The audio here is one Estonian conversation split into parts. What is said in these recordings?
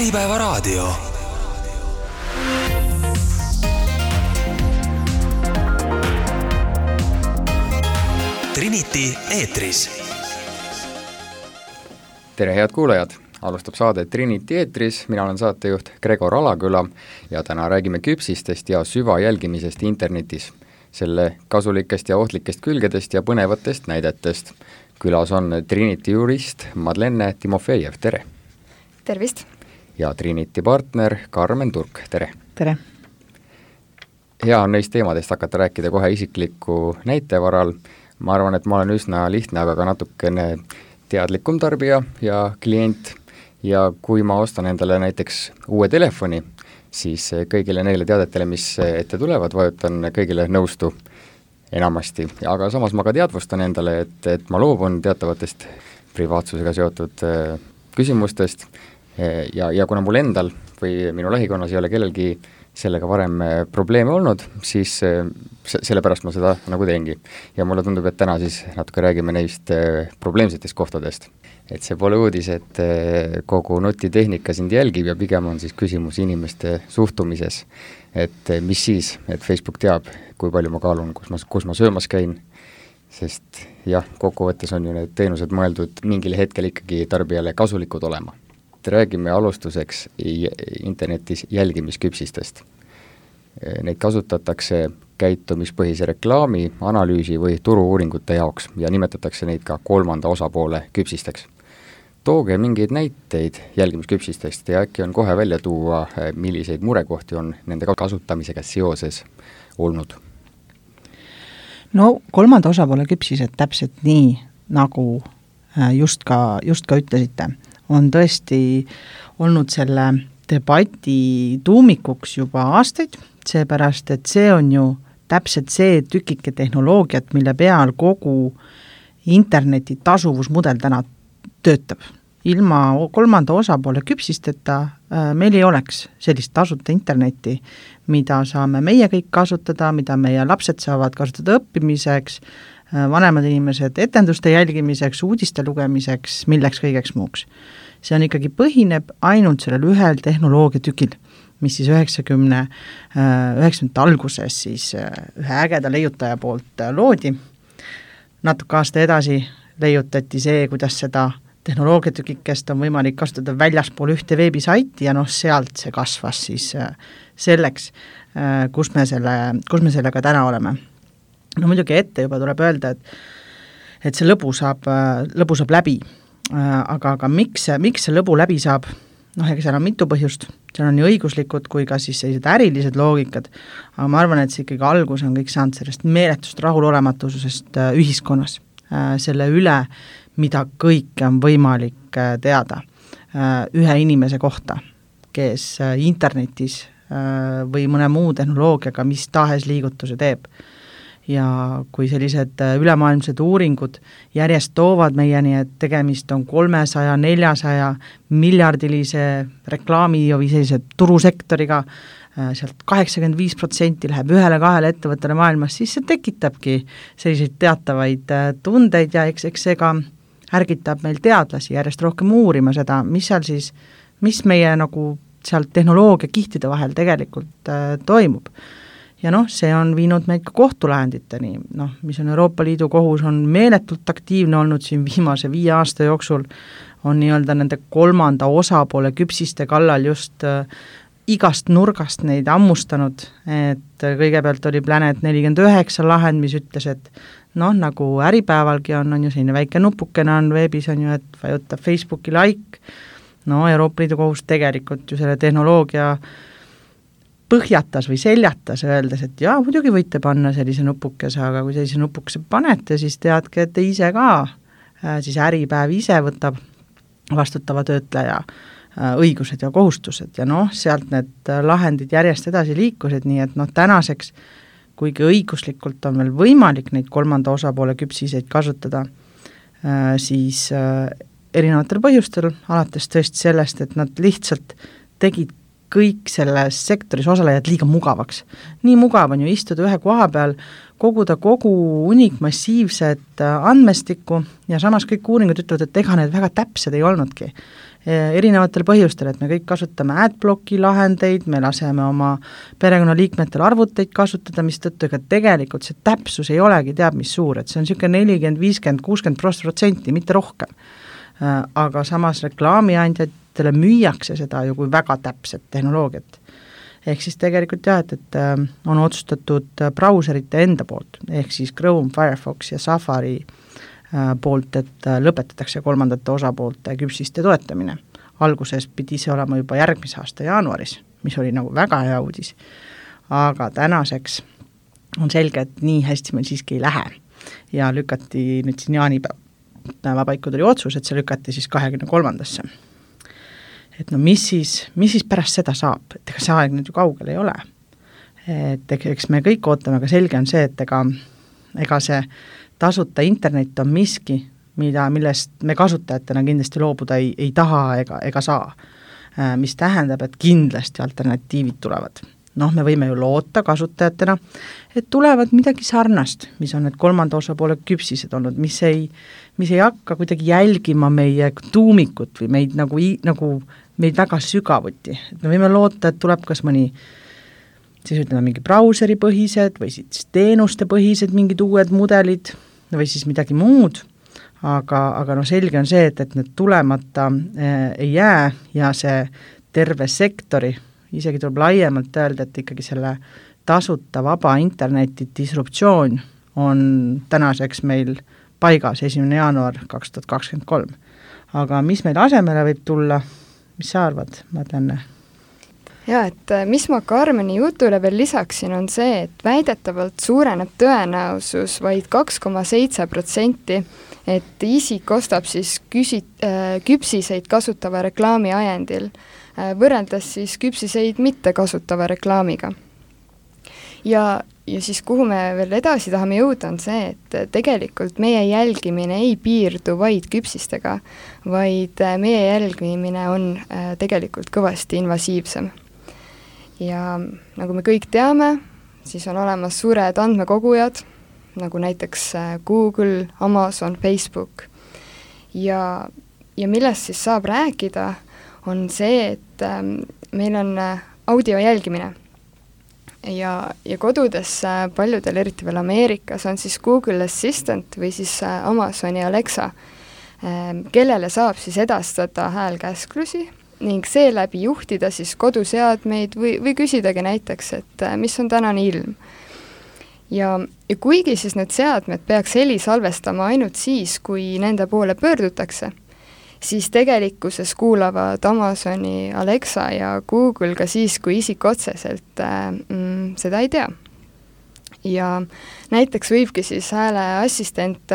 Äripäevaraadio. Trinity eetris. Tere head kuulajad, alustab saade Trinity eetris, mina olen saatejuht Gregor Alaküla ja täna räägime küpsistest ja süvajälgimisest internetis, selle kasulikest ja ohtlikest külgedest ja põnevatest näidetest. Külas on Trinity jurist Madlene Timofejev, tere! Tervist! Ja Trinity partner Karmen Turk, tere! Tere! Hea on neist teemadest hakata rääkida kohe isikliku näite varal. Ma arvan, et ma olen üsna lihtne, aga ka natukene teadlikum tarbija ja klient ja kui ma ostan endale näiteks uue telefoni, siis kõigile neile teadetele, mis ette tulevad, vajutan kõigile nõustu enamasti. Aga samas ma ka teadvustan endale, et ma loobun teatavatest privaatsusega seotud küsimustest ja kuna mul endal või minu lähikonnas ei ole kellelgi sellega varem probleeme olnud, siis sellepärast ma seda nagu teengi. Ja mulle tundub, et täna siis natuke räägime neist probleemsetest kohtadest. Et see pole uudis, et kogu nutitehnika sind jälgib ja pigem on siis küsimus inimeste suhtumises. Et mis siis, et Facebook teab, kui palju ma kaalun, kus ma söömas käin, sest jah, kokkuvõttes on ju need teenused mõeldud mingil hetkel ikkagi tarbijale kasulikud olema. Räägime alustuseks internetis jälgimisküpsistest. Neid kasutatakse käitumispõhise reklaami, analüüsi või turu-uuringute jaoks ja nimetatakse neid ka kolmanda osapoole küpsisteks. Tooge mingeid näiteid jälgimisküpsistest ja äkki on kohe välja tuua, milliseid murekohti on nende kasutamisega seoses olnud? No kolmanda osapoole küpsised täpselt nii, nagu just ka ütlesite, on tõesti olnud selle debati tuumikuks juba aastaid, seepärast, et see on ju täpselt see tükike tehnoloogiat, mille peal kogu interneti tasuvusmudel täna töötab. Ilma kolmanda osapoole küpsisteta meil ei oleks sellist tasuta internetti, mida saame meie kõik kasutada, mida meie lapsed saavad kasutada õppimiseks, vanemad inimesed etenduste jälgimiseks, uudiste lugemiseks, milleks kõigeks muuks. See on ikkagi põhineb ainult sellel ühel tehnoloogiatükil, mis siis 90 alguses siis ühe ägeda leiutaja poolt loodi. Natuke aasta edasi leiutati see, kuidas seda tehnoloogiatükikest on võimalik kasutada väljaspool ühte veebisaiti ja sealt see kasvas siis selleks, kus me sellega täna oleme. No muidugi ette juba tuleb öelda, et see lõbu saab läbi, aga miks see lõbu läbi saab? Ega seal on mitu põhjust, seal on nii õiguslikud kui ka siis sellised ärilised loogikad, aga ma arvan, et see ikkagi algus on kõik saanud sellest meeletust rahulolematusest ühiskonnas, selle üle, mida kõike on võimalik teada ühe inimese kohta, kes internetis või mõne muu tehnoloogiaga mis tahes liigutuse teeb. Ja kui sellised ülemaailmsed uuringud järjest toovad meieni, et tegemist on 300-400 miljardilise reklaami või sellise turusektoriga, sealt 85% läheb 1-2 ettevõttele maailmas, siis see tekitabki selliseid teatavaid tundeid ja eks see ka ärgitab meil teadlasi järjest rohkem uurima seda, mis meie nagu seal tehnoloogia kihtide vahel tegelikult toimub. Ja see on viinud meid ka kohtulahenditeni, mis on Euroopa Liidu kohus, on meeletult aktiivne olnud siin viimase 5 aasta jooksul, on nii-öelda nende kolmanda osapoole küpsiste kallal just igast nurgast neid ammustanud, et kõigepealt oli Planet 49 lahend, mis ütles, et nagu Äripäevalgi on ju selline väike nupukene on veebis, on ju, et vajutab Facebooki like, Euroopa Liidu kohus tegelikult ju selle tehnoloogia põhjatas või seljatas, öeldes, et jaa, muidugi võite panna sellise nupukese, aga kui sellise nupukese panete, siis teadke, et te ise ka, siis Äripäev ise võtab vastutava töötleja õigused ja kohustused ja sealt need lahendid järjest edasi liikusid, nii et tänaseks, kuigi õiguslikult on veel võimalik neid kolmanda osapoole küpsiseid kasutada, siis erinevatel põhjustel, alates tõesti sellest, et nad lihtsalt tegid kõik selles sektoris osalejad liiga mugavaks. Nii mugav on ju istuda ühe koha peal, koguda kogu unikmassiivset andmestikku ja samas kõik uuringud ütlevad, et ega need väga täpsed ei olnudki. erinevatel põhjustel, et me kõik kasutame adblocki lahendeid, me laseme oma perekonnaliikmetel arvuteid kasutada, mistõttu ega tegelikult see täpsus ei olegi teab mis suur, et see on niisugune 40, 50, 60%, mitte rohkem. Aga samas reklaamiandjatele müüakse seda ju kui väga täpset tehnoloogiat. Ehk siis tegelikult jah, et on otsustatud brauserite enda poolt, ehk siis Chrome, Firefox ja Safari poolt, et lõpetatakse kolmandate osapoolte küpsiste toetamine. Alguses pidi see olema juba järgmise aasta jaanuaris, mis oli nagu väga hea uudis, aga tänaseks on selge, et nii hästi meil siiski ei lähe ja lükati nüüd siin jaanipäeva paiku tuli otsus, et see lükati siis 23-ndasse. Et no mis siis pärast seda saab, et ega see aeg nüüd ju kaugel ei ole. Et eks me kõik ootame, aga selge on see, et ega see tasuta internet on miski, millest me kasutajatena kindlasti loobuda ei taha ega saa, mis tähendab, et kindlasti alternatiivid tulevad. Noh, me võime ju loota kasutajatena, et tulevad midagi sarnast, mis on need kolmanda osapoole küpsised olnud, mis ei hakka kuidagi jälgima meie tuumikut või meid nagu meid väga sügavuti. Et me võime loota, et tuleb kas mõni siis ütleme mingi brauseri põhised või siis teenuste põhised mingid uued mudelid või siis midagi muud, aga no selge on see, et need tulemata ei jää ja see terve sektori, isegi tuleb laiemalt öelda, et ikkagi selle tasuta vaba interneti disruptsioon on tänaseks meil paigas 1. jaanuar 2023. Aga mis meil asemele võib tulla, mis sa arvad, Madlenne? Ja, et mis ma Karmeni jutule veel lisaksin, on see, et väidetavalt suureneb tõenäosus vaid 2,7%, et isik ostab siis küpsiseid kasutava reklaami ajendil, võrreldes siis küpsiseid mitte kasutava reklaamiga. Ja siis kuhu me veel edasi tahame jõuda, on see, et tegelikult meie jälgimine ei piirdu vaid küpsistega, vaid meie jälgimine on tegelikult kõvasti invasiivsem. Ja nagu me kõik teame, siis on olemas suured andmekogujad, nagu näiteks Google, Amazon, Facebook. Ja millest siis saab rääkida, on see, et meil on audio jälgimine. Ja kodudes paljudel, eriti veel Ameerikas, on siis Google Assistant või siis Amazoni Alexa, kellele saab siis edastada häälkäsklusi ning seeläbi juhtida siis koduseadmeid või küsidagi näiteks, et mis on tänane ilm. Ja kuigi siis need seadmed peaks heli salvestama ainult siis, kui nende poole pöördutakse, siis tegelikkuses kuulavad Amazoni Alexa ja Google ka siis, kui isik otseselt seda ei tea. Ja näiteks võibki siis hääleassistent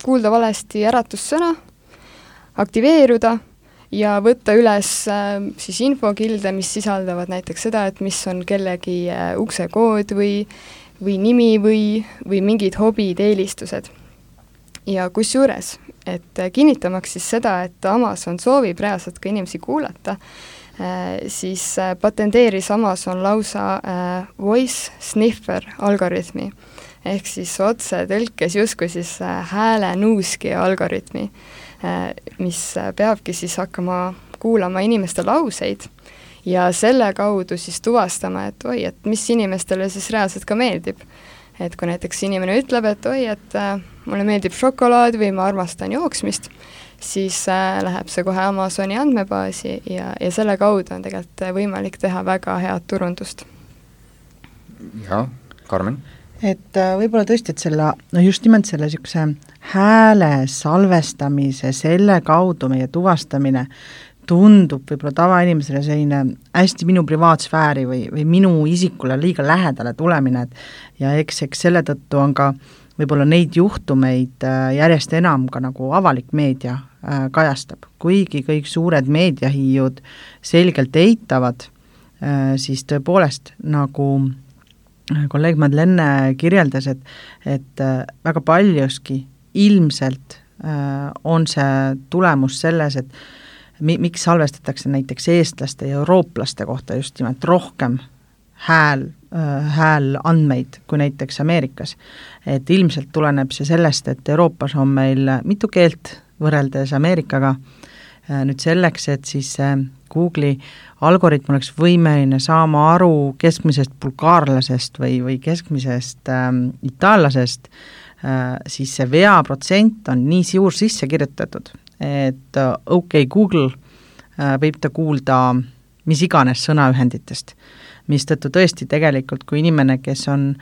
kuulda valesti äratussõna, aktiveeruda ja võtta üles siis infokilde, mis sisaldavad näiteks seda, et mis on kellegi uksekood või nimi või mingid hobid, eelistused. Ja kusjuures, et kinnitamaks siis seda, et Amazon soovib reaalselt ka inimesi kuulata, siis patenteeris Amazon lausa voice sniffer algoritmi, ehk siis otse tõlkes justkui siis hääle nuuski algoritmi, mis peabki siis hakkama kuulama inimeste lauseid ja selle kaudu siis tuvastama, et et mis inimestele siis reaalselt ka meeldib. Et kui näiteks inimene ütleb, et et mulle meeldib šokolaad või ma armastan jooksmist, siis läheb see kohe Amazoni andmebaasi ja selle kaudu on tegelikult võimalik teha väga head turundust. Ja, Karmen? Et võib-olla tõesti, et just nimelt selle hääle salvestamise, selle kaudu meie tuvastamine tundub võib-olla tavainimesele selline hästi minu privaatsfääri või minu isikule liiga lähedale tulemine, ja eks selle tõttu on ka võib-olla neid juhtumeid järjest enam ka nagu avalik meedia kajastab. Kuigi kõik suured meediahiiud selgelt eitavad, siis tõepoolest nagu kolleeg Madlenne kirjeldas, et väga paljuski ilmselt on see tulemus selles, et miks salvestatakse näiteks eestlaste ja eurooplaste kohta just nimelt rohkem häälandmeid kui näiteks Ameerikas. Et ilmselt tuleneb see sellest, et Euroopas on meil mitu keelt võrreldes Ameerikaga, nüüd selleks, et siis Google'i algoritm oleks võimeline saama aru keskmisest bulgaarlasest või keskmisest itaallasest, siis see veaprotsent on nii suur sisse kirjutatud, et Google võib ta kuulda mis iganes sõnaühenditest, mistõttu tõesti tegelikult, kui inimene, kes on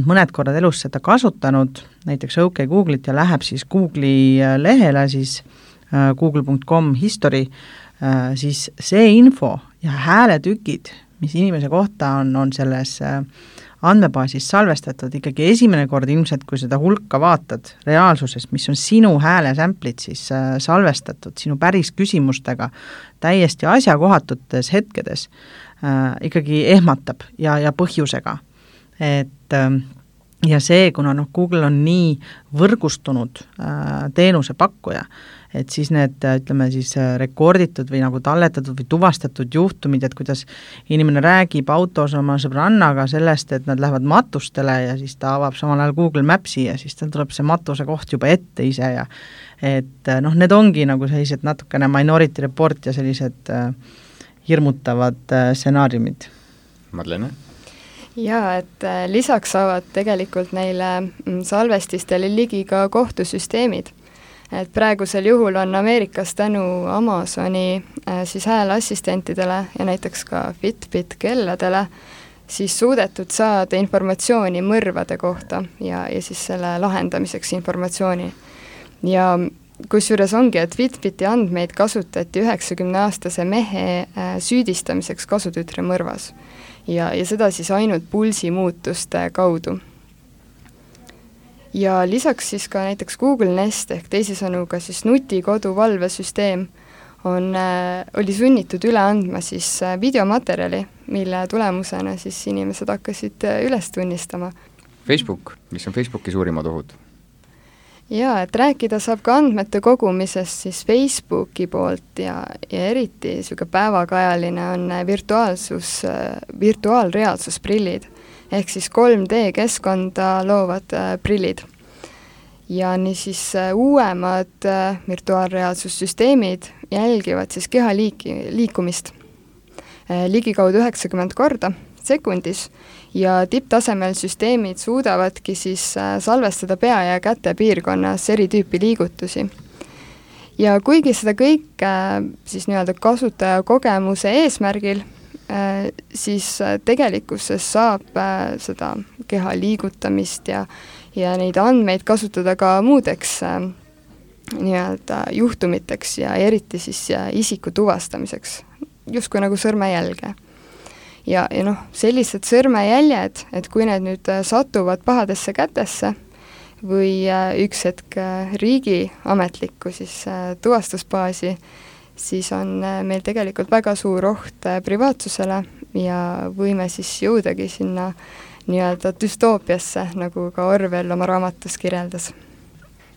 mõned korrad elus seda kasutanud, näiteks Google'it ja läheb siis Google'i lehele, siis google.com history, siis see info ja hääletükid, mis inimese kohta on selles andmebaasis salvestatud, ikkagi esimene kord ilmselt, kui seda hulka vaatad reaalsuses, mis on sinu häälesämplid siis salvestatud, sinu päris küsimustega täiesti asjakohatutes hetkedes, ikkagi ehmatab ja põhjusega. Et ja see, kuna Google on nii võrgustunud teenuse pakkuja, et siis need, ütleme siis rekorditud või nagu talletatud või tuvastatud juhtumid, et kuidas inimene räägib autos oma sõbrannaga sellest, et nad lähevad matustele ja siis ta avab samal ajal Google Mapsi ja siis tal tuleb see matuse koht juba ette ise ja et need ongi nagu sellised natukene Minority Report ja sellised hirmutavad stsenaariumid. Madlene? Jaa, et lisaks saavad tegelikult neile salvestistele ligi ka kohtusüsteemid. Et praegusel juhul on Ameerikas tänu Amazoni siis hääleassistentidele ja näiteks ka Fitbit kelladele siis suudetud saada informatsiooni mõrvade kohta ja siis selle lahendamiseks informatsiooni. Ja kusjuures ongi, et Fitbiti andmeid kasutati 90-aastase mehe süüdistamiseks kasutütre mõrvas ja seda siis ainult pulsimuutuste kaudu. Ja lisaks siis ka näiteks Google Nest ehk teisisõnu ka siis nutikodu valvesüsteem oli sunnitud üle andma siis videomaterjali, mille tulemusena siis inimesed hakkasid üles tunnistama. Facebook, mis on Facebooki suurimad ohud? Jaa, et rääkida saab ka andmete kogumisest siis Facebooki poolt ja eriti niisugune päevakajaline on virtuaalreaalsusprillid ehk siis 3D-keskkonda loovad prillid. Ja nii siis uuemad virtuaalreaalsussüsteemid jälgivad siis keha liikumist ligikaudu 90 korda sekundis ja tipptasemel süsteemid suudavadki siis salvestada pea ja käte piirkonnas eri tüüpi liigutusi. Ja kuigi seda kõike siis nii-öelda kasutaja kogemuse eesmärgil, siis tegelikkuses saab seda keha liigutamist ja neid andmeid kasutada ka muudeks nii-öelda juhtumiteks ja eriti siis isiku tuvastamiseks, justkui nagu sõrmejälge. Ja sellised sõrmejäljed, et kui need nüüd satuvad pahadesse kätesse või üks hetk riigi ametlikku siis tuvastusbaasi, siis on meil tegelikult väga suur oht privaatsusele ja võime siis jõudagi sinna nii-öelda düstoopiasse, nagu ka Orwell oma raamatus kirjeldas.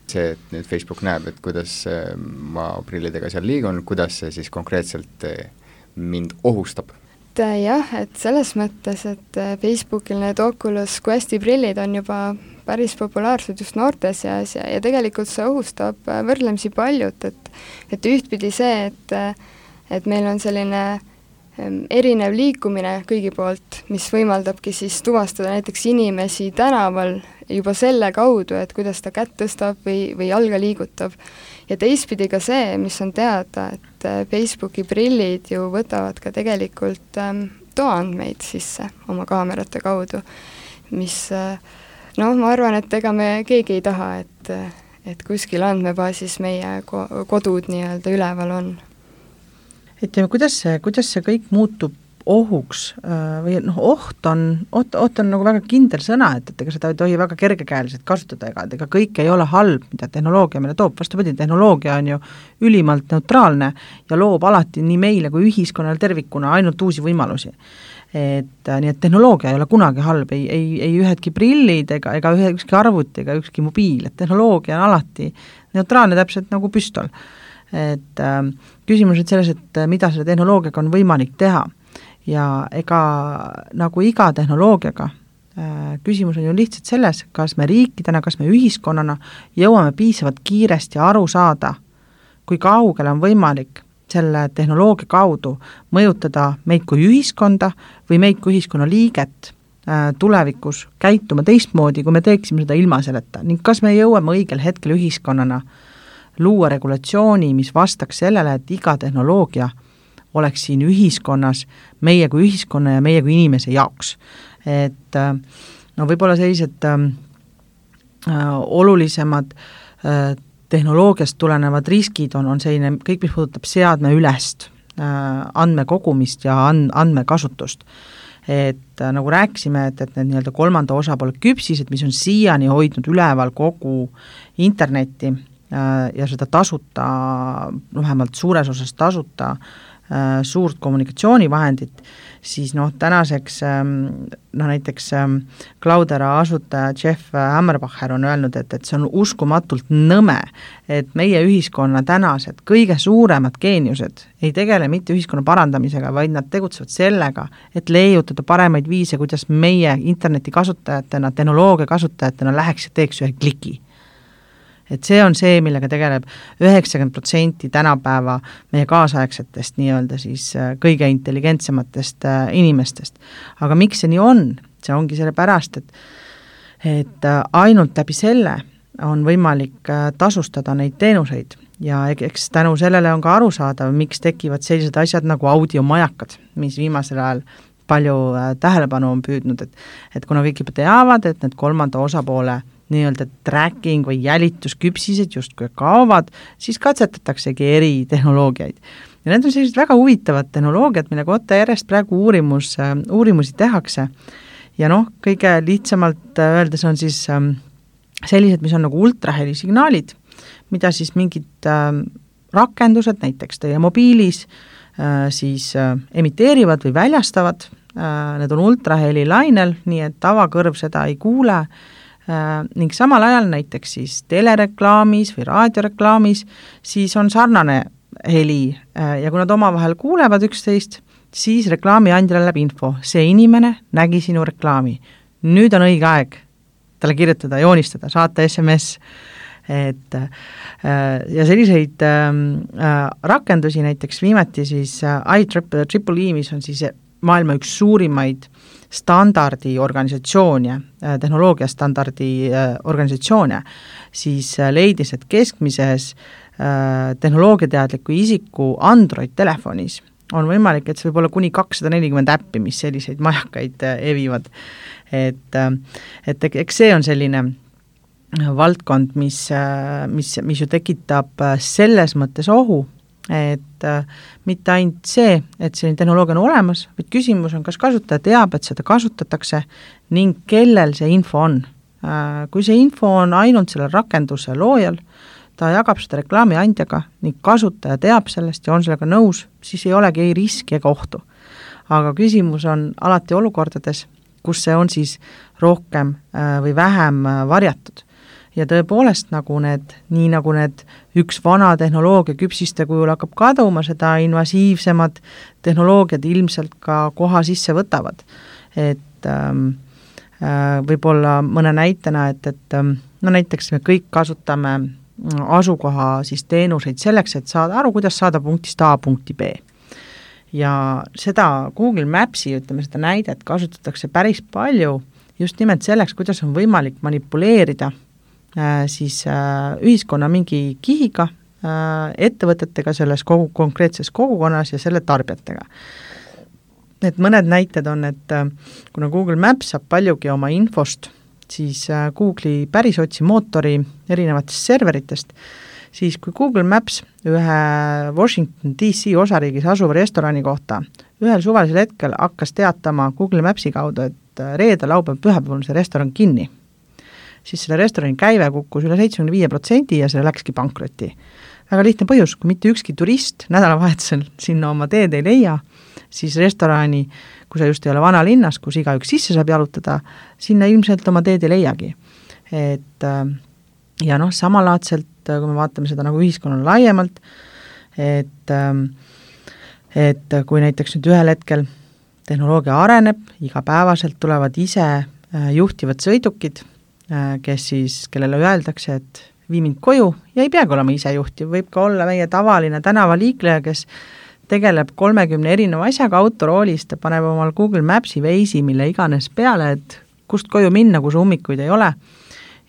See, et nüüd Facebook näeb, et kuidas ma prillidega seal liigun, kuidas see siis konkreetselt mind ohustab? Jah, et selles mõttes, et Facebookil need Oculus Questi prillid on juba päris populaarsed just noorte seas ja tegelikult see ohustab võrdlemisi paljut, et ühtpidi see, et meil on selline erinev liikumine kõigi poolt, mis võimaldabki siis tuvastada näiteks inimesi tänaval juba selle kaudu, et kuidas ta kätt tõstab või jalga liigutab. Ja teistpidi ka see, mis on teada, et Facebooki prillid ju võtavad ka tegelikult toaandmeid sisse oma kaamerate kaudu, mis ma arvan, et ega me keegi ei taha, et kuskil andmebaasis meie kodud nii-öelda üleval on. Et kuidas see kõik muutub ohuks või oht on nagu väga kindel sõna, et ega seda ei tohi väga kergekäeliselt kasutada, ega kõik ei ole halb, mida tehnoloogia meile toob, vastupidi, tehnoloogia on ju ülimalt neutraalne ja loob alati nii meile kui ühiskonnale tervikuna ainult uusi võimalusi. Nii et tehnoloogia ei ole kunagi halb, ei ühedki prillid ega ükski arvuti ega ükski mobiil, et tehnoloogia on alati neutraalne täpselt nagu püstol. Et küsimus on selles, et mida selle tehnoloogiaga on võimalik teha. Ja ega nagu iga tehnoloogiaga küsimus on ju lihtsalt selles, kas me riikidena, kas me ühiskonnana jõuame piisavalt kiiresti aru saada, kui kaugele on võimalik selle tehnoloogia kaudu mõjutada meid kui ühiskonda või meid kui ühiskonna liiget tulevikus käituma teistmoodi, kui me teeksime seda ilma selleta, ning kas me jõuame õigel hetkel ühiskonnana luua regulatsiooni, mis vastaks sellele, et iga tehnoloogia oleks siin ühiskonnas meie kui ühiskonna ja meie kui inimese jaoks. Et no võib-olla sellised olulisemad tehnoloogiast tulenevad riskid on selline kõik, mis puudutab seadme ülest andmekogumist ja andmekasutust. Et nagu rääkisime, et need nii-öelda kolmanda osapoole küpsised, mis on siiani hoidnud üleval kogu internetti ja seda tasuta, vähemalt suures osas tasuta suurt kommunikatsioonivahendit, siis tänaseks näiteks Cloudera asutaja Jeff Hammerbacher on öelnud, et see on uskumatult nõme, et meie ühiskonna tänased kõige suuremad geeniused ei tegele mitte ühiskonna parandamisega, vaid nad tegutsevad sellega, et leiutada paremaid viise, kuidas meie interneti kasutajatena, tehnoloogia kasutajatena läheks ja teeks ühe kliki. Et see on see, millega tegeleb 90% tänapäeva meie kaasaegsetest nii-öelda siis kõige intelligentsematest inimestest. Aga miks see nii on? See ongi selle pärast, et ainult läbi selle on võimalik tasustada neid teenuseid ja eks tänu sellele on ka arusaadav, miks tekivad sellised asjad nagu audiomajakad, mis viimasel ajal palju tähelepanu on püüdnud, et kuna kõik juba teavad, et need kolmanda osapoole nii-öelda tracking või jälitusküpsised justkui kaovad, siis katsetataksegi eri tehnoloogiaid. Ja need on sellised väga huvitavad tehnoloogiad, mille kohta järjest praegu uurimusi tehakse. Ja kõige lihtsamalt öeldes on siis sellised, mis on nagu ultrahelisignaalid, mida siis mingid rakendused, näiteks teie mobiilis, siis emiteerivad või väljastavad. Need on ultrahelilainel, nii et tavakõrv seda ei kuule, ning samal ajal näiteks siis telereklaamis või raadioreklaamis siis on sarnane heli ja kui nad omavahel kuulevad üksteist, siis reklaami andjale läheb info, see inimene nägi sinu reklaami, nüüd on õige aeg talle kirjutada, joonistada, saata SMS, et ja selliseid rakendusi näiteks viimati siis IEEE, mis on siis maailma üks suurimaid standardiorganisatsioone, tehnoloogiastandardi organisatsioone, siis leidis, et keskmises tehnoloogiateadliku isiku Android-telefonis on võimalik, et see võib olla kuni 240 äppi, mis selliseid majakaid evivad. Et eks see on selline valdkond, mis ju tekitab selles mõttes ohu, et mitte ainult see, et selline tehnoloogia on olemas, vaid küsimus on, kas kasutaja teab, et seda kasutatakse ning kellel see info on. Kui see info on ainult selle rakenduse loojal, ta jagab seda reklaami andjaga ning kasutaja teab sellest ja on sellega nõus, siis ei olegi ei riski ega ohtu. Aga küsimus on alati olukordades, kus see on siis rohkem või vähem varjatud. Ja tõepoolest nii nagu need üks vana tehnoloogia küpsiste kujul hakkab kaduma, seda invasiivsemad tehnoloogiad ilmselt ka koha sisse võtavad. Et võib-olla mõne näitena, et näiteks me kõik kasutame asukoha siis teenuseid selleks, et saada aru, kuidas saada punktist A punkti B. Ja seda Google Mapsi, seda näidet kasutatakse päris palju just nimelt selleks, kuidas on võimalik manipuleerida siis ühiskonna mingi kihiga, ettevõtetega selles konkreetses kogukonnas ja selle tarbijatega. Et mõned näited on, et kuna Google Maps saab paljugi oma infost, siis Google'i pärisootsimootori erinevatest serveritest, siis kui Google Maps ühe Washington DC osariigis asuva restorani kohta ühel suvalisel hetkel hakkas teatama Google Mapsi kaudu, et reede, laupäev, pühapäeval on see restoran kinni, siis selle restorani käive kukkus üle 75% ja see läkski pankrotti. Väga lihtne põhjus, kui mitte ükski turist nädalavahetusel sinna oma teed ei leia, siis restorani, kui sa just ei ole vanalinnas, kus igaüks sisse saab jalutada, sinna ilmselt oma teed ei leiagi. Et ja samalaadselt, kui me vaatame seda nagu ühiskonnale laiemalt, et kui näiteks nüüd ühel hetkel tehnoloogia areneb, igapäevaselt tulevad ise juhtivad sõidukid, kellele öeldakse, et vii mind koju ja ei peagi olema isejuhtiv, võib ka olla meie tavaline tänavaliikleja, kes tegeleb 30 erineva asjaga autoroolist ja paneb omal Google Maps'i Waze'i, mille iganes peale, et kust koju minna, kus ummikuid ei ole.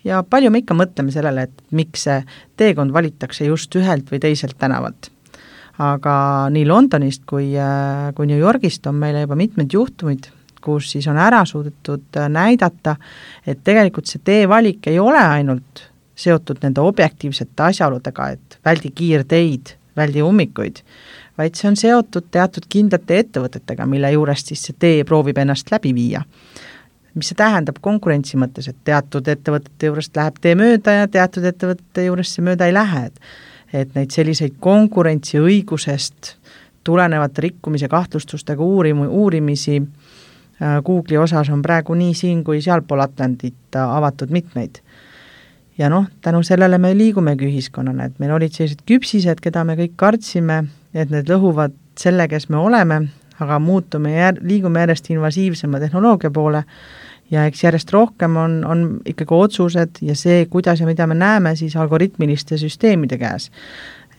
Ja palju me ikka mõtleme sellele, et miks see teekond valitakse just ühelt või teiselt tänavalt. Aga nii Londonist kui New Yorgist on meile juba mitmed juhtumid, kus siis on ära suudetud näidata, et tegelikult see teevalik ei ole ainult seotud nende objektiivsete asjaoludega, et väldi kiirteid, väldi ummikuid, vaid see on seotud teatud kindlate ettevõtetega, mille juurest siis see tee proovib ennast läbi viia. Mis see tähendab konkurentsi mõttes, et teatud ettevõtete juurest läheb tee mööda ja teatud ettevõtete juurest see mööda ei lähe, et neid selliseid konkurentsi õigusest tulenevate rikkumise kahtlustustega uurimisi Google'i osas on praegu nii siin kui sealpool Atlandit avatud mitmeid. Ja tänu sellele me liigumegi ühiskonnana, et meil olid sellised küpsised, keda me kõik kartsime, et need lõhuvad selle, kes me oleme, aga liigume järjest invasiivsema tehnoloogia poole ja eks järjest rohkem on ikkagi otsused ja see, kuidas ja mida me näeme, siis algoritmiliste süsteemide käes.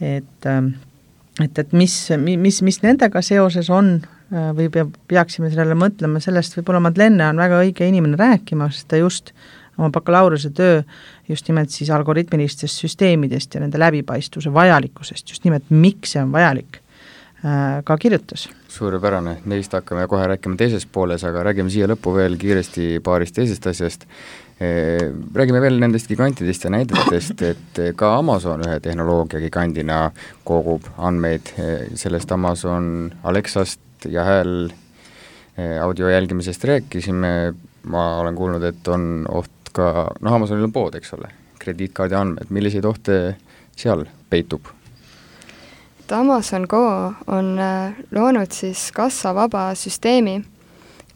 Et mis nendega seoses on või peaksime sellele mõtlema, sellest võib-olla Madlenne on väga õige inimene rääkima, sest ta just oma bakalaureuse töö just nimelt siis algoritmilistest süsteemidest ja nende läbipaistvuse vajalikkusest, just nimelt miks see on vajalik, ka kirjutas. Suurepärane, neist hakkame kohe rääkima teises pooles, aga räägime siia lõppu veel kiiresti paarist teisest asjast. Räägime veel nendest gigantidest ja näidetest, et ka Amazon ühe tehnoloogia gigandina kogub andmeid sellest Amazon Alexast ja hääl audio jälgimisest rääkisime, ma olen kuulnud, et on oht ka, Amazonil on pood, eks ole, krediitkaardi andmed, milliseid ohte seal peitub? Amazon Go on loonud siis kassavaba süsteemi,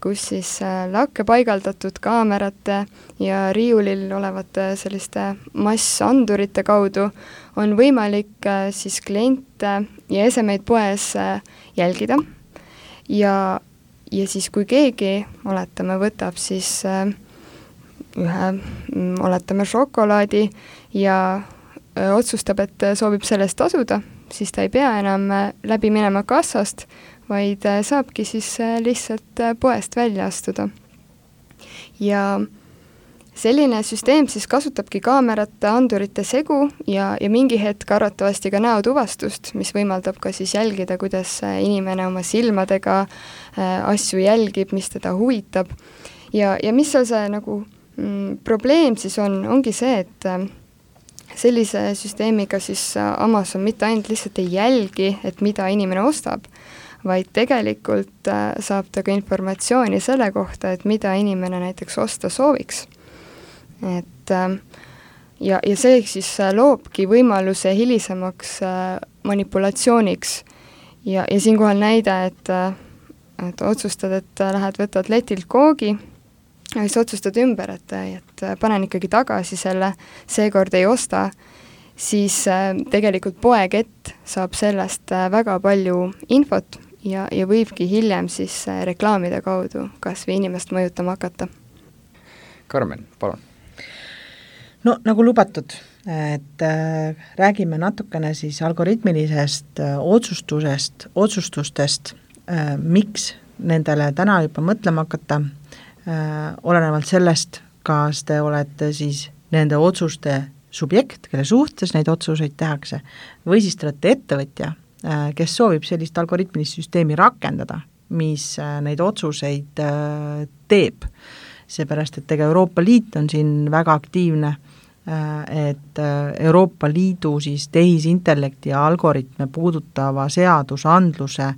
kus siis lakke paigaldatud kaamerate ja riiulil olevate selliste massandurite kaudu on võimalik siis kliente ja esemeid poes jälgida ja siis kui keegi, oletame, võtab siis oletame šokolaadi ja otsustab, et soovib sellest tasuda, siis ta ei pea enam läbi minema kassast, vaid saabki siis lihtsalt poest välja astuda. Ja selline süsteem siis kasutabki kaamerate, andurite segu ja mingi hetk arvatavasti ka näotuvastust, mis võimaldab ka siis jälgida, kuidas inimene oma silmadega asju jälgib, mis teda huvitab. Ja mis seal see probleem siis ongi see, et sellise süsteemiga siis Amazon mitte ainult lihtsalt ei jälgi, et mida inimene ostab, vaid tegelikult saab ta ka informatsiooni selle kohta, et mida inimene näiteks osta sooviks. Ja see siis loobki võimaluse hilisemaks manipulatsiooniks ja siinkohal näide, et otsustad, et lähed võtad letilt koogi ja siis otsustad ümber, et panen ikkagi tagasi selle, seekord ei osta, siis tegelikult poekett saab sellest väga palju infot ja võibki hiljem siis reklaamide kaudu kas või inimest mõjutama hakata. Karmen, palun. Nagu lubatud, et räägime natukene siis algoritmilisest otsustustest, miks nendele täna juba mõtlema hakata, olenevalt sellest, kas te olete siis nende otsuste subjekt, kelle suhtes neid otsuseid tehakse, või siis te olete ettevõtja, kes soovib sellist algoritmilist süsteemi rakendada, mis neid otsuseid teeb. Seepärast, et Euroopa Liit on siin väga aktiivne, et Euroopa Liidu siis tehisintellekti ja algoritme puudutava seadusandluse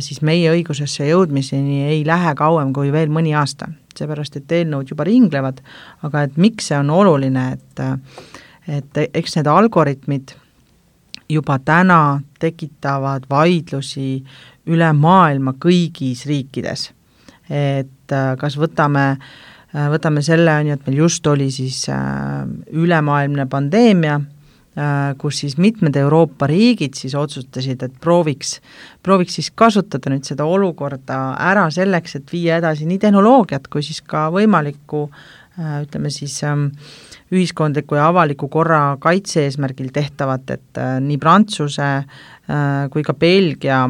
siis meie õigusesse jõudmiseni ei lähe kauem kui veel mõni aasta. Seepärast, et eelnõud juba ringlevad, aga et miks see on oluline, et eks need algoritmid juba täna tekitavad vaidlusi üle maailma kõigis riikides. Et kas võtame selle, et meil just oli siis ülemaailmne pandeemia, kus siis mitmed Euroopa riigid siis otsustasid, et prooviks siis kasutada nüüd seda olukorda ära selleks, et viia edasi nii tehnoloogiat kui siis ka võimalikku ütleme siis ühiskondliku ja avaliku korra kaitse eesmärgil tehtavat, et nii Prantsuse kui ka Belgia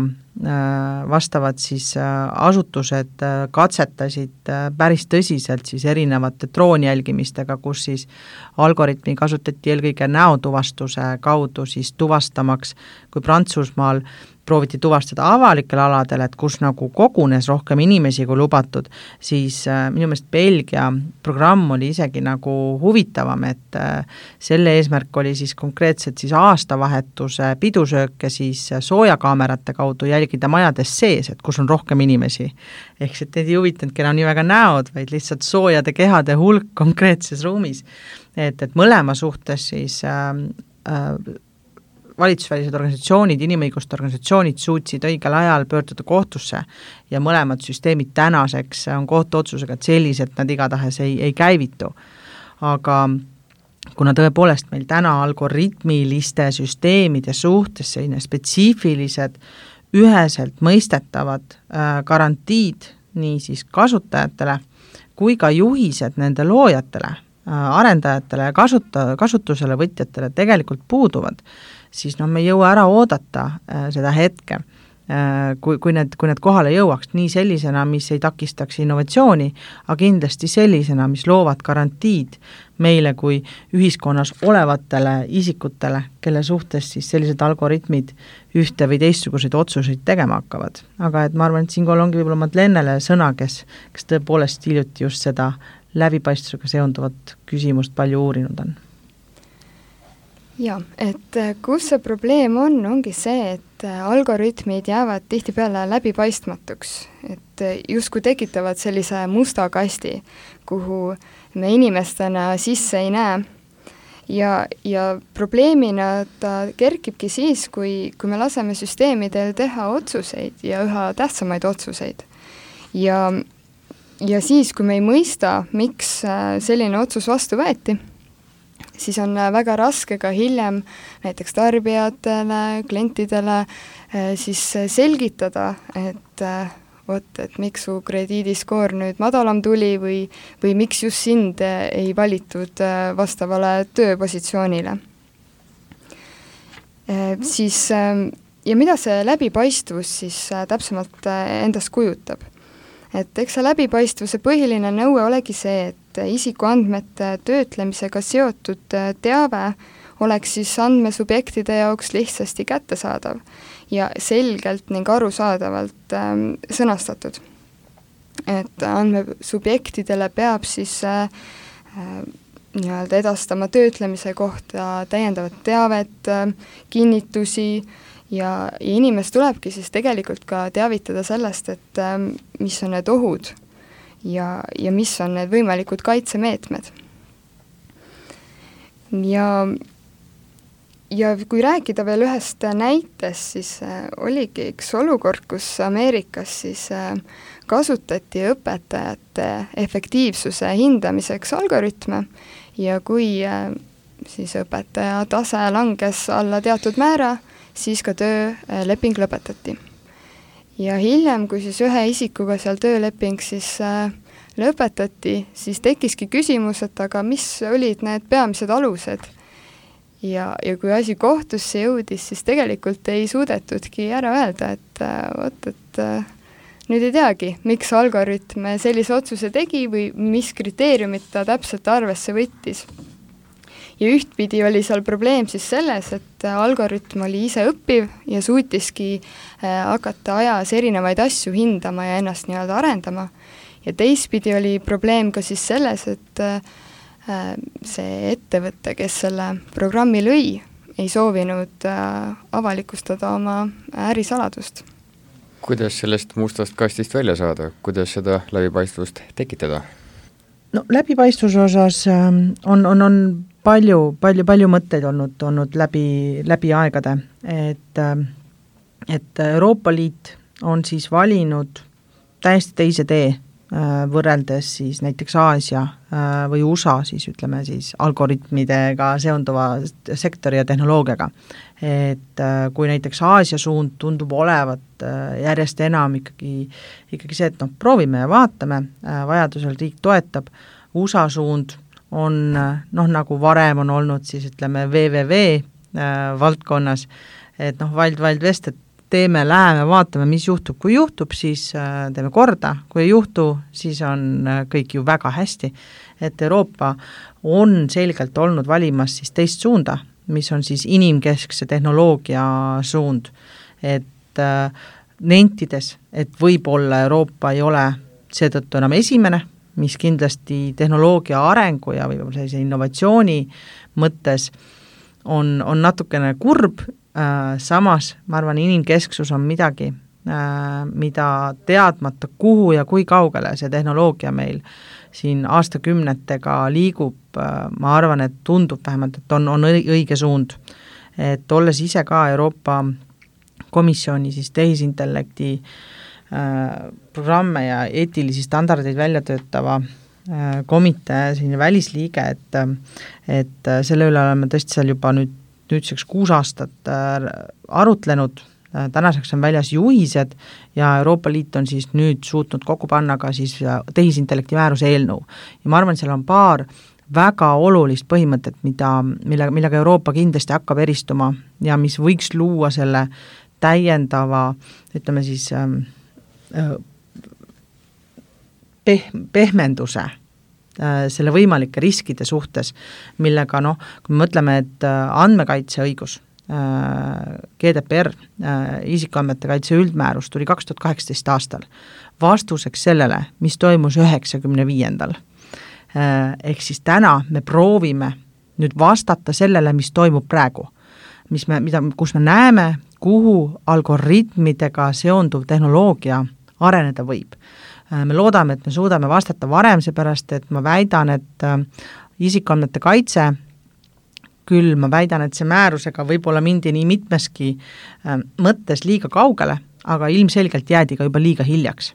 vastavad siis asutused katsetasid päris tõsiselt siis erinevate droonjälgimistega, kus siis algoritmi kasutati eelkõige näotuvastuse kaudu siis tuvastamaks, kui Prantsusmaal prooviti tuvastada avalikel aladel, et kus nagu kogunes rohkem inimesi kui lubatud, siis minu meelest Belgia programm oli isegi nagu huvitavam, et selle eesmärk oli siis konkreetselt siis aastavahetuse pidusööke siis soojakaamerate kaudu jälgida majades sees, et kus on rohkem inimesi. Ehk see teid ei huvitanudki enam nii väga näod, vaid lihtsalt soojade kehade hulk konkreetses ruumis. Et mõlema suhtes siis valitsusvälised organisatsioonid, inimõiguste organisatsioonid suutsid õigel ajal pöörduda kohtusse ja mõlemad süsteemid tänaseks on kohtuotsusega, et sellised nad igatahes ei käivitu. Aga kuna tõepoolest meil täna algoritmiliste süsteemide suhtes selline spetsiifilised, üheselt mõistetavad garantiid nii siis kasutajatele kui ka juhised nende loojatele, arendajatele ja kasutusele võtjatele tegelikult puuduvad, siis me ei jõua ära oodata seda hetke, kui need kohale jõuaks nii sellisena, mis ei takistaks innovatsiooni, aga kindlasti sellisena, mis loovad garantiid meile kui ühiskonnas olevatele isikutele, kelle suhtes siis sellised algoritmid ühte või teistsuguseid otsuseid tegema hakkavad. Aga et ma arvan, et siinkohal ongi võib-olla Madlenele sõna, kes tõepoolest hiljuti just seda läbipaistvusega seonduvat küsimust palju uurinud on. Ja, et kus see probleem ongi see, et algoritmid jäävad tihtipeale läbipaistmatuks, et justkui tekitavad sellise musta kasti, kuhu me inimestena sisse ei näe. Ja probleemina ta kerkibki siis, kui me laseme süsteemidel teha otsuseid ja üha tähtsamaid otsuseid. Ja siis, kui me ei mõista, miks selline otsus vastu võeti, siis on väga raske ka hiljem näiteks tarbijatele, klientidele siis selgitada, et miks su krediidiskoor nüüd madalam tuli või miks just sind ei valitud vastavale tööpositsioonile. Ja mida see läbipaistvus siis täpsemalt endast kujutab? Et eks see läbipaistvuse põhiline nõue olegi see, et isikuandmete töötlemisega seotud teave oleks siis andmesubjektide jaoks lihtsasti kättesaadav ja selgelt ning arusaadavalt sõnastatud. Et andmesubjektidele peab siis nii-öelda edastama töötlemise kohta täiendavat teavet, kinnitusi, ja inimest tulebki siis tegelikult ka teavitada sellest, et mis on need ohud ja mis on need võimalikud kaitsemeetmed. Ja kui rääkida veel ühest näitest, siis oligi üks olukord, kus Ameerikas siis kasutati õpetajate efektiivsuse hindamiseks algoritme ja kui siis õpetaja tase langes alla teatud määra, siis ka tööleping lõpetati. Ja hiljem, kui siis ühe isikuga seal tööleping siis lõpetati, siis tekkiski küsimus, et aga mis olid need peamised alused. Ja kui asi kohtusse jõudis, siis tegelikult ei suudetudki ära öelda, et nüüd ei teagi, miks algoritm sellise otsuse tegi või mis kriteeriumid ta täpselt arvesse võttis. Ja ühtpidi oli seal probleem siis selles, et algoritm oli ise õppiv ja suutiski hakata ajas erinevaid asju hindama ja ennast nii-öelda arendama. Ja teistpidi oli probleem ka siis selles, et see ettevõte, kes selle programmi lõi, ei soovinud avalikustada oma ärisaladust. Kuidas sellest mustast kastist välja saada? Kuidas seda läbipaistvust tekitada? No läbipaistvuse osas on palju mõtteid olnud läbi aegade, et Euroopa Liit on siis valinud täiesti teise tee võrreldes siis näiteks Aasia või USA siis ütleme siis algoritmidega seonduva sektori ja tehnoloogiaga. Et kui näiteks Aasia suund tundub olevat järjest enam ikkagi see, et proovime ja vaatame, vajadusel riik toetab, USA suund on nagu varem on olnud siis ütleme VVV valdkonnas, et Wild West, et läheme, vaatame, mis juhtub, kui juhtub, siis teeme korda, kui ei juhtu, siis on kõik ju väga hästi, et Euroopa on selgelt olnud valimas siis teist suunda, mis on siis inimkeskse tehnoloogia suund, et nentides, et võib-olla Euroopa ei ole seetõttu enam esimene, mis kindlasti tehnoloogia arengu ja võib-olla sellise innovatsiooni mõttes on natukene kurb, samas ma arvan, inimkesksus on midagi, mida teadmata kuhu ja kui kaugele see tehnoloogia meil siin aastakümnetega liigub, ma arvan, et tundub vähemalt, et on õige suund. Et olles ise ka Euroopa Komisjoni siis tehisintellekti programme ja eetilisi standardeid välja töötava komitee selline välisliige, et selle üle oleme tõesti seal juba nüüdseks 6 aastat arutlenud, tänaseks on väljas juhised ja Euroopa Liit on siis nüüd suutnud kokku panna ka siis tehisintellekti määruse eelnõu. Ja ma arvan, seal on paar väga olulist põhimõtet, millega Euroopa kindlasti hakkab eristuma ja mis võiks luua selle täiendava, ütleme siis pehmenduse selle võimalike riskide suhtes, millega kui me mõtleme, et andmekaitseõigus, GDPR, isikuandmete kaitse üldmäärus tuli 2018 aastal vastuseks sellele, mis toimus 95. Ehk siis täna me proovime nüüd vastata sellele, mis toimub praegu, kus me näeme, kuhu algoritmidega seonduv tehnoloogia areneda võib. Me loodame, et me suudame vastata varem, seepärast, et ma väidan, et isikuandmete kaitse, küll ma väidan, et see määrusega võib-olla mindi nii mitmeski mõttes liiga kaugele, aga ilmselgelt jäädi ka juba liiga hiljaks.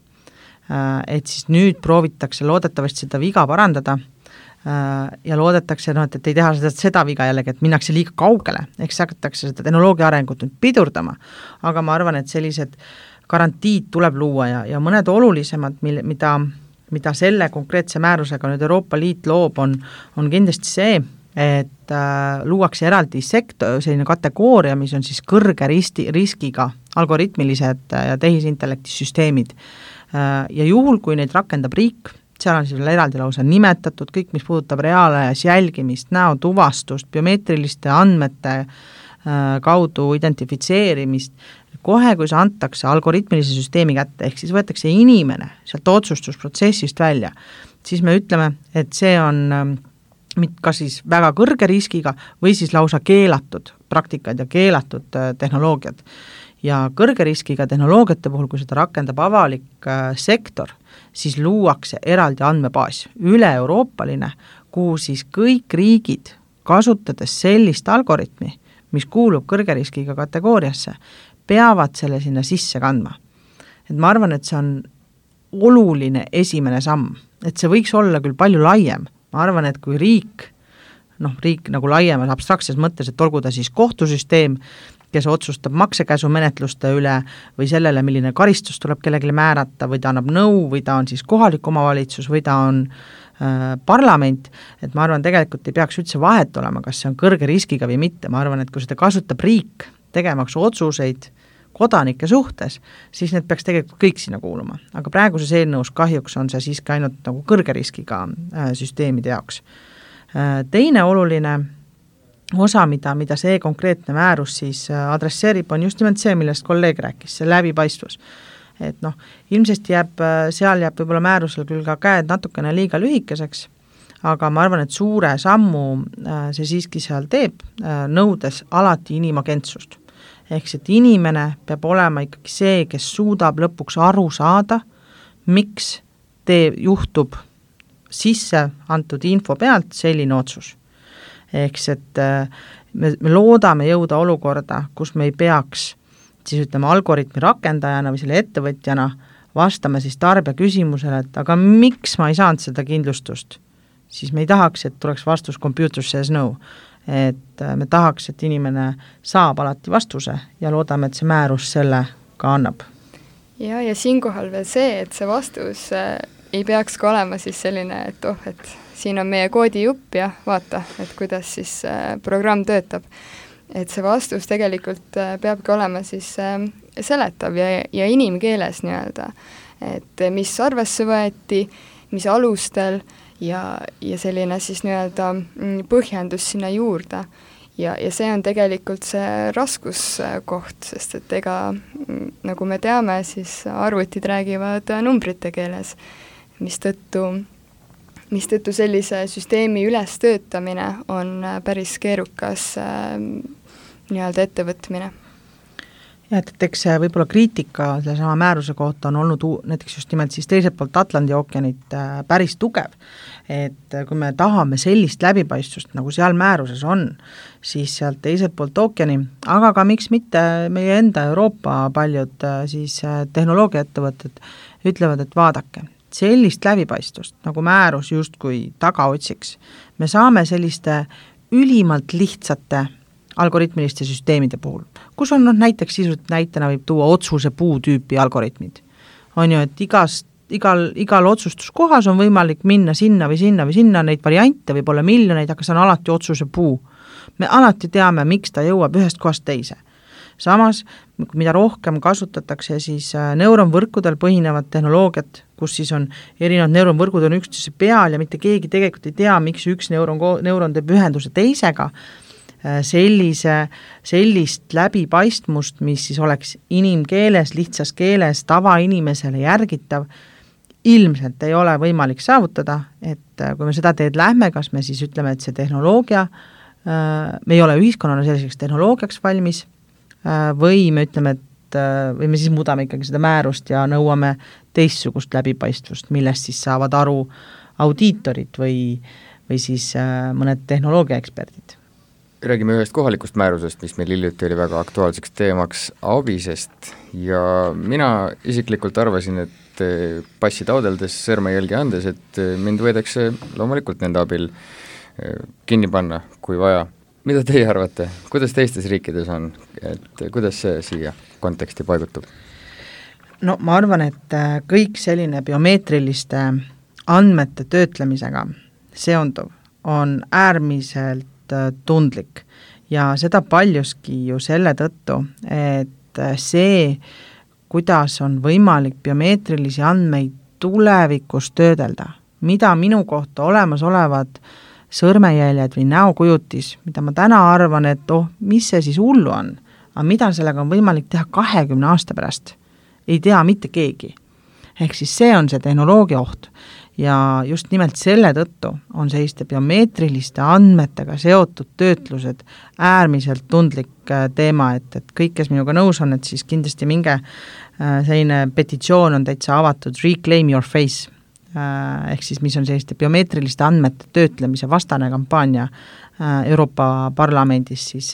Et siis nüüd proovitakse loodetavasti seda viga parandada ja loodetakse, et ei teha seda viga jällegi, et minnakse liiga kaugele, eks hakatakse seda tehnoloogia arengut nüüd pidurdama, aga ma arvan, et sellised garantiid tuleb luua ja mõned olulisemad, mida selle konkreetse määrusega nüüd Euroopa Liit loob, on kindlasti see, et luuakse eraldi selline kategooria, mis on siis kõrge riskiga algoritmilised ja tehisintellektisüsteemid. Ja juhul, kui neid rakendab riik, seal on siis eraldi lausa nimetatud kõik, mis puudutab reaalajas jälgimist, näotuvastust, biomeetriliste andmete kaudu identifitseerimist, kohe, kui see antakse algoritmilise süsteemi kätte, ehk siis võetakse inimene sealt otsustusprotsessist välja, siis me ütleme, et see on kas siis väga kõrge riskiga või siis lausa keelatud praktikad ja keelatud tehnoloogiad. Ja kõrge riskiga tehnoloogiate puhul, kui seda rakendab avalik sektor, siis luuakse eraldi andmebaas üle-euroopaline, kuhu siis kõik riigid, kasutades sellist algoritmi, mis kuulub kõrge riskiga kategooriasse, peavad selle sinna sisse kandma. Et ma arvan, et see on oluline esimene samm, et see võiks olla küll palju laiem. Ma arvan, et kui riik nagu laiemas abstraktses mõttes, et olgu ta siis kohtusüsteem, kes otsustab maksekäsumenetluste üle või sellele, milline karistus tuleb kellelegi määrata või ta annab nõu või ta on siis kohalik omavalitsus või ta on parlament, et ma arvan, tegelikult ei peaks üldse vahet olema, kas see on kõrge riskiga või mitte. Ma arvan, et kui seda kasutab riik tegemaks otsuseid kodanike suhtes, siis need peaks tegelikult kõik sinna kuuluma. Aga praeguses eelnõus kahjuks on see siiski ainult nagu kõrge riskiga süsteemide jaoks. Teine oluline osa, mida see konkreetne määrus siis adresseerib, on just nimelt see, millest kolleeg rääkis, see läbipaistvus. Et ilmselt seal jääb võib-olla määrusel küll ka käed natukene liiga lühikeseks, aga ma arvan, et suure sammu see siiski seal teeb, nõudes alati inimagentsust. Ehk see, et inimene peab olema ikkagi see, kes suudab lõpuks aru saada, miks juhtub sisse antud info pealt selline otsus. Ehk see, et me loodame jõuda olukorda, kus me ei peaks siis ütleme algoritmi rakendajana või selle ettevõtjana vastame siis tarbija küsimusele, et aga miks ma ei saanud seda kindlustust, siis me ei tahaks, et tuleks vastus computer says no. Et me tahaks, et inimene saab alati vastuse ja loodame, et see määrus selle ka annab. Ja siinkohal veel see, et see vastus ei peaks ka olema siis selline, et et siin on meie koodijupp ja vaata, et kuidas siis programm töötab. Et see vastus tegelikult peabki olema siis seletav ja inimkeeles nii-öelda, et mis arvesse võeti, mis alustel ja selline siis nii-öelda põhjendus sinna juurde. Ja see on tegelikult see raskuskoht, sest et ega, nagu me teame, siis arvutid räägivad numbrite keeles, mistõttu sellise süsteemi ülestöötamine on päris keerukas nii-öelda ettevõtmine. Ja, et eks võib-olla kriitika selle sama määruse kohta on olnud näiteks just nimelt siis teiselt poolt Atlandi ookeanit päris tugev, et kui me tahame sellist läbipaistvust, nagu seal määruses on, siis sealt teiselt poolt ookeani, aga ka miks mitte meie enda Euroopa paljud siis tehnoloogiaettevõtted ütlevad, et vaadake, sellist läbipaistvust, nagu määrus justkui taga otsiks, me saame selliste ülimalt lihtsate algoritmiliste süsteemide puhul, kus on näiteks sisuliselt näitena võib tuua otsuse puu tüüpi algoritmid. On ju, et igal otsustuskohas on võimalik minna sinna või sinna või sinna, neid variante võib olla miljoneid, aga see on alati otsuse puu. Me alati teame, miks ta jõuab ühest kohast teise. Samas, mida rohkem kasutatakse siis neuronvõrkudel põhinevat tehnoloogiat, kus siis on erinevad neuronvõrgud on üksteise peal ja mitte keegi tegelikult ei tea, miks üks neuron teeb ühenduse teisega, sellist läbipaistmust, mis siis oleks inimkeeles, lihtsas keeles, tavainimesele järgitav, ilmselt ei ole võimalik saavutada, et kui me seda teed lähme, kas me siis ütleme, et see tehnoloogia, me ei ole ühiskonnana selliseks tehnoloogiaks valmis, või me ütleme, et või me siis muudame ikkagi seda määrust ja nõuame teistsugust läbipaistvust, millest siis saavad aru audiitorid või siis mõned tehnoloogiaeksperdid. Räägime ühest kohalikust määrusest, mis meil hiljuti oli väga aktuaalseks teemaks ABIS-est ja mina isiklikult arvasin, et passi taodeldes, sõrmejälgi andes, et mind võidakse loomulikult nende abil kinni panna, kui vaja. Mida teie arvate? Kuidas teistes riikides on? Et kuidas see siia konteksti paigutub? No ma arvan, et kõik selline biomeetriliste andmete töötlemisega seonduv on äärmiselt tundlik ja seda paljuski ju selle tõttu, et see, kuidas on võimalik biomeetrilisi andmeid tulevikus töödelda, mida minu kohta olemasolevad sõrmejäljed või näokujutis, mida ma täna arvan, et mis see siis hullu on, aga mida sellega on võimalik teha 20 aasta pärast, ei tea mitte keegi. Ehk siis see on see tehnoloogia oht. Ja just nimelt selle tõttu on selliste biomeetriliste andmetega seotud töötlused äärmiselt tundlik teema, et kõik, kes minuga nõus on, et siis kindlasti minge selline petitsioon on täitsa avatud Reclaim Your Face, ehk siis mis on selliste biomeetriliste andmete töötlemise vastane kampaania Euroopa Parlamendis siis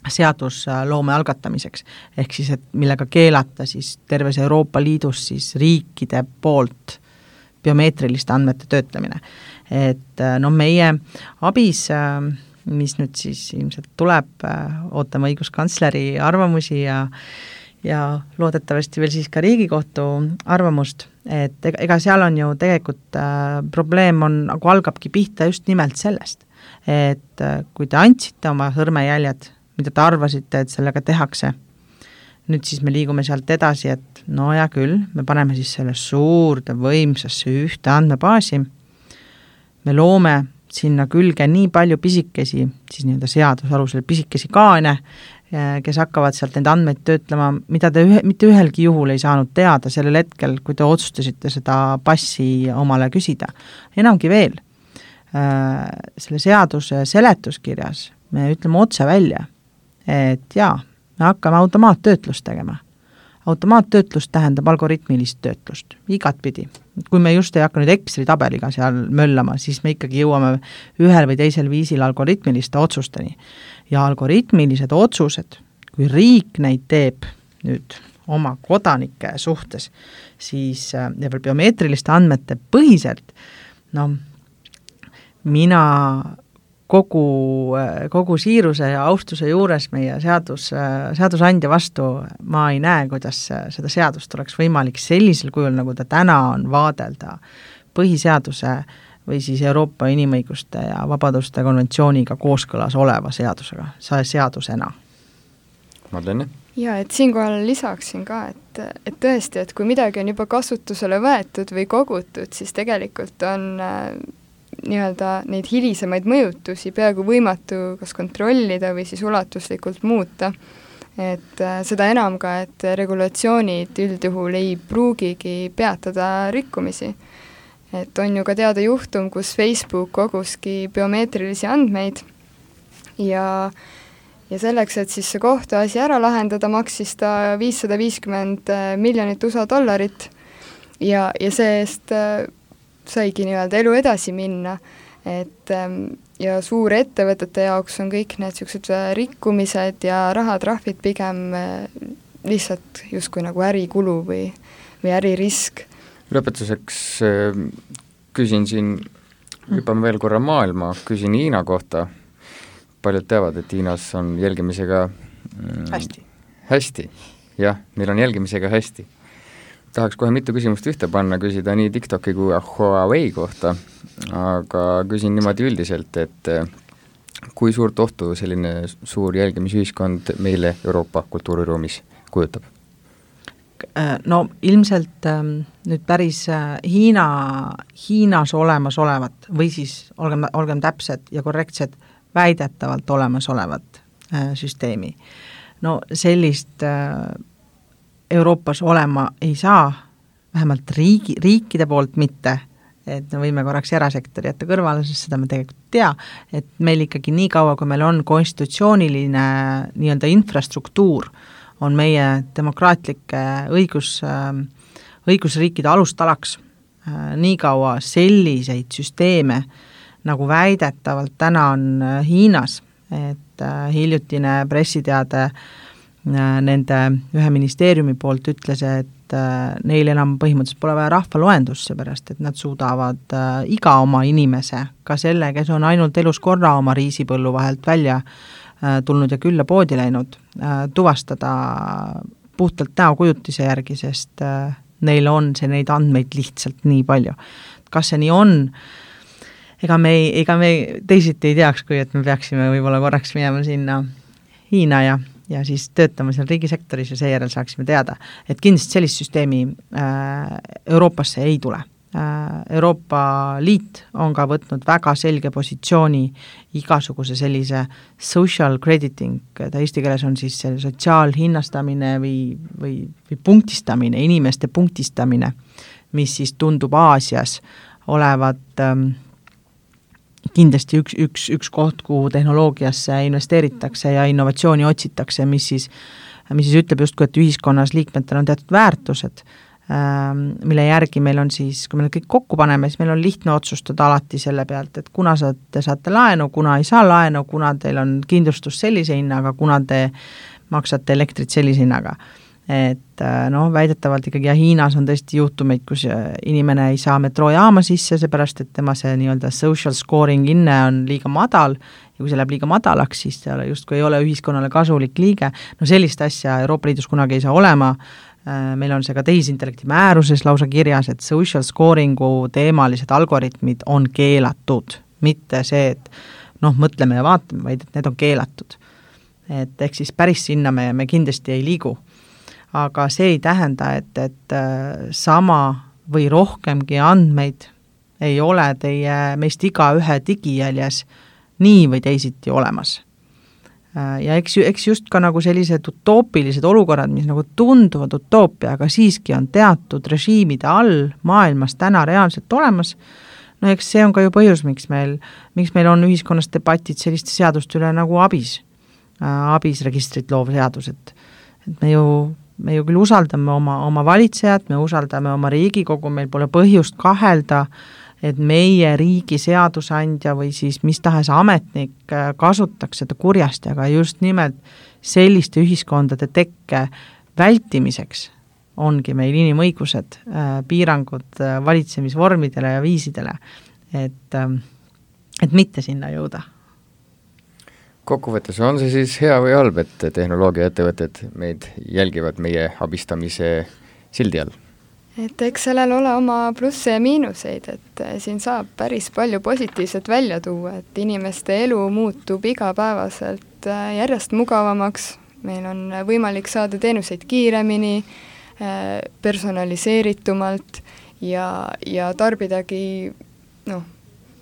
seadusloome algatamiseks, ehk siis, et millega keelata siis terves Euroopa Liidus siis riikide poolt biomeetriliste andmete töötlemine. Et meie ABIS, mis nüüd siis ilmselt tuleb, ootame õiguskantsleri arvamusi ja loodetavasti veel siis ka Riigikohtu arvamust, et ega seal on ju tegelikult probleem on, nagu algabki pihta just nimelt sellest, et kui te andsite oma sõrmejäljed, mida te arvasite, et sellega tehakse, nüüd siis me liigume sealt edasi, et no ja küll, me paneme siis selle suurde võimsasse ühte andmebaasi, me loome sinna külge nii palju pisikesi, siis nii-öelda seadusalusel pisikesi kaane, kes hakkavad sealt neid andmeid töötlema, mida te mitte ühelgi juhul ei saanud teada sellel hetkel, kui te otsustasite seda passi omale küsida. Enamgi veel, selle seaduse seletuskirjas me ütleme otse välja, et jaa, me hakkame automaattöötlust tegema. Automaattöötlust tähendab algoritmilist töötlust, igatpidi. Kui me just ei hakka nüüd Exceli tabeliga seal möllama, siis me ikkagi jõuame ühel või teisel viisil algoritmiliste otsusteni. Ja algoritmilised otsused, kui riik neid teeb nüüd oma kodanike suhtes, siis ja biomeetriliste andmete põhiselt, mina kogu siiruse ja austuse juures meie seadusandja vastu ma ei näe, kuidas seda seadust oleks võimalik sellisel kujul, nagu ta täna on, vaadelda põhiseaduse või siis Euroopa inimõiguste ja vabaduste konventsiooniga kooskõlas oleva seadusena. Madlene? Ja, et siinkohal lisaksin ka, et tõesti, et kui midagi on juba kasutusele võetud või kogutud, siis tegelikult on nii-öelda neid hilisemaid mõjutusi peaaegu võimatu kas kontrollida või siis ulatuslikult muuta. Et seda enam ka, et regulatsioonid üldjuhul ei pruugigi peatada rikkumisi. Et on ju ka teada juhtum, kus Facebook koguski biomeetrilisi andmeid ja selleks, et siis see kohtuasi ära lahendada, maksis ta $550 miljonit USA ja see eest saigi nii-öelda elu edasi minna, et ja suure ettevõtete jaoks on kõik need sellised rikkumised ja rahatrahvid pigem lihtsalt justkui nagu ärikulu või äririsk. Lõpetuseks küsin siin, hüppame veel korra maailma, küsin Hiina kohta. Paljud teavad, et Hiinas on jälgimisega hästi. Jah, neil on jälgimisega hästi. Tahaks kohe mitu küsimust ühte panna, küsida nii TikToki kui Huawei kohta, aga küsin niimoodi üldiselt, et kui suurt ohtu selline suur jälgimisühiskond meile Euroopa kultuuriruumis kujutab? No ilmselt nüüd päris Hiinas olemas olevat või siis olgem täpsed ja korrektsed väidetavalt olemas olevat süsteemi. No sellist Euroopas olema ei saa, vähemalt riikide poolt mitte, et me võime korraks erasektori jätta kõrvale, sest seda me tegelikult tea, et meil ikkagi nii kaua, kui meil on konstitutsiooniline nii-öelda infrastruktuur, on meie demokraatlike õigusriikide alustalaks. Nii kaua selliseid süsteeme, nagu väidetavalt täna on Hiinas, et hiljutine pressiteade nende ühe ministeeriumi poolt ütles, et neil enam põhimõtteliselt pole vaja rahvaloendust, seepärast, et nad suudavad iga oma inimese, ka selle, kes on ainult elus korra oma riisipõllu vahelt välja tulnud ja külla poodi läinud, tuvastada puhtalt näokujutise järgi, sest neil on neid andmeid lihtsalt nii palju. Kas see nii on? Ega me teisiti ei teaks, kui et me peaksime võib-olla korraks minema sinna Hiina ja siis töötama seal riigisektoris ja seejärel saaksime teada, et kindlasti sellist süsteemi Euroopasse ei tule. Euroopa Liit on ka võtnud väga selge positsiooni igasuguse sellise social crediting, ta eesti keeles on siis sotsiaalhinnastamine või punktistamine, inimeste punktistamine, mis siis tundub Aasias olevat kindlasti üks koht, kuhu tehnoloogiasse investeeritakse ja innovatsiooni otsitakse, mis siis ütleb justkui, et ühiskonnas liikmetel on teatud väärtused, mille järgi meil on siis, kui me kõik kokku paneme, siis meil on lihtne otsustada alati selle pealt, et kuna te saate laenu, kuna ei saa laenu, kuna teil on kindlustus sellise hinnaga, kuna te maksate elektrit sellise hinnaga. Et väidetavalt ikkagi ja Hiinas on tõesti juhtumeid, kus inimene ei saa metroojaama sisse, seepärast, et tema see nii-öelda social scoring inne on liiga madal ja kui see läheb liiga madalaks, siis see justkui ei ole ühiskonnale kasulik liige. No sellist asja Euroopa Liidus kunagi ei saa olema. Meil on see ka tehisintellekti määruses lausa kirjas, et social scoringu teemalised algoritmid on keelatud, mitte see, et mõtleme ja vaatame, vaid et need on keelatud. Et ehk siis päris sinna me kindlasti ei liigu. Aga see ei tähenda, et sama või rohkemgi andmeid ei ole teie meist iga ühe digijäljes nii või teisiti olemas. Ja eks just ka nagu sellised utoopilised olukorrad, mis nagu tunduvad utoopia, aga siiski on teatud režiimide all maailmas täna reaalselt olemas, no eks see on ka ju põhjus, miks meil on ühiskonnas debatid selliste seaduste üle nagu abisregistrit loov seadus, et me ju küll usaldame oma valitsejat, me usaldame oma Riigikogu, meil pole põhjust kahelda, et meie riigi seadusandja või siis mis tahes ametnik kasutaks seda kurjasti, aga just nimelt selliste ühiskondade tekke vältimiseks ongi meil inimõigused, piirangud valitsemisvormidele ja viisidele, et mitte sinna jõuda. Kokkuvõttes on see siis hea või halb, et tehnoloogiaettevõtted meid jälgivad meie abistamise sildi all? Et eks sellel ole oma plusse ja miinuseid, et siin saab päris palju positiivset välja tuua, et inimeste elu muutub igapäevaselt järjest mugavamaks, meil on võimalik saada teenuseid kiiremini, personaliseeritumalt ja tarbidagi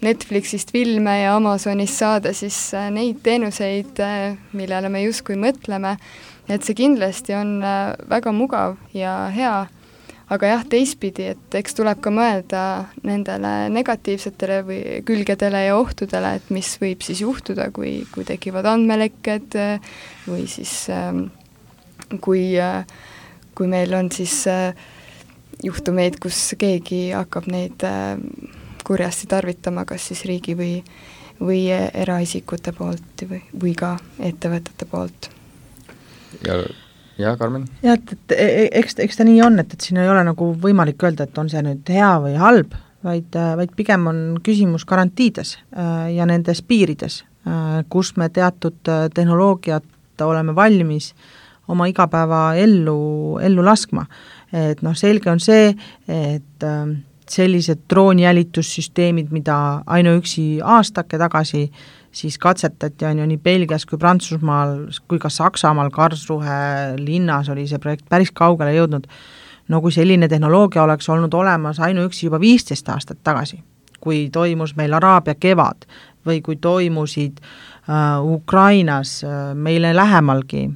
Netflixist filme ja Amazonist saada siis neid teenuseid, millele me justkui mõtleme, et see kindlasti on väga mugav ja hea, aga jah, teistpidi, et eks tuleb ka mõelda nendele negatiivsetele või külgedele ja ohtudele, et mis võib siis juhtuda, kui tekivad andmelekked või siis kui meil on siis juhtumeid, kus keegi hakkab neid kurjasti tarvitama, kas siis riigi või eraisikute poolt või ka ettevõtete poolt. Ja Karmen? Ja, et eks ta nii on, et siin ei ole nagu võimalik öelda, et on see nüüd hea või halb, vaid pigem on küsimus garantiides ja nendes piirides, kus me teatud tehnoloogiat oleme valmis oma igapäeva ellu laskma. Et selge on see, et sellised droonijälitussüsteemid, mida ainuüksi aastake tagasi siis katsetati, on ju nii Belgias kui Prantsusmaal kui ka Saksamaal Karlsruhe linnas oli see projekt päris kaugele jõudnud. No kui selline tehnoloogia oleks olnud olemas ainuüksi juba 15 aastat tagasi, kui toimus meil Araabia kevad või kui toimusid Ukrainas meile lähemalgi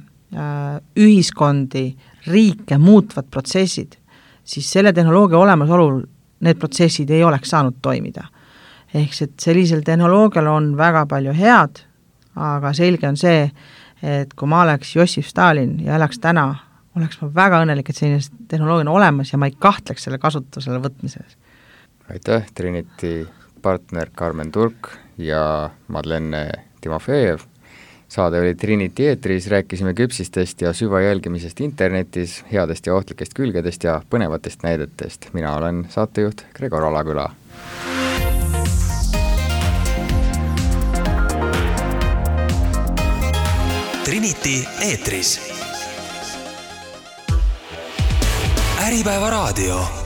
ühiskondi, riike muutvad protsessid, siis selle tehnoloogia olemasolul need protsessid ei oleks saanud toimida. Ehk et sellisel tehnoloogial on väga palju head, aga selge on see, et kui ma oleks Jossif Stalin ja elaks täna, oleks ma väga õnnelik, et selline tehnoloogia on olemas ja ma ei kahtleks selle kasutusele võtmises. Aitäh, Trinity partner Karmen Turk ja Madlene Timofejev. Saade oli Trinity eetris, rääkisime küpsistest ja süvajälgimisest internetis, headest ja ohtlikest külgedest ja põnevatest näidetest. Mina olen saatejuht Gregor Alaküla. Trinity eetris. Äripäeva raadio.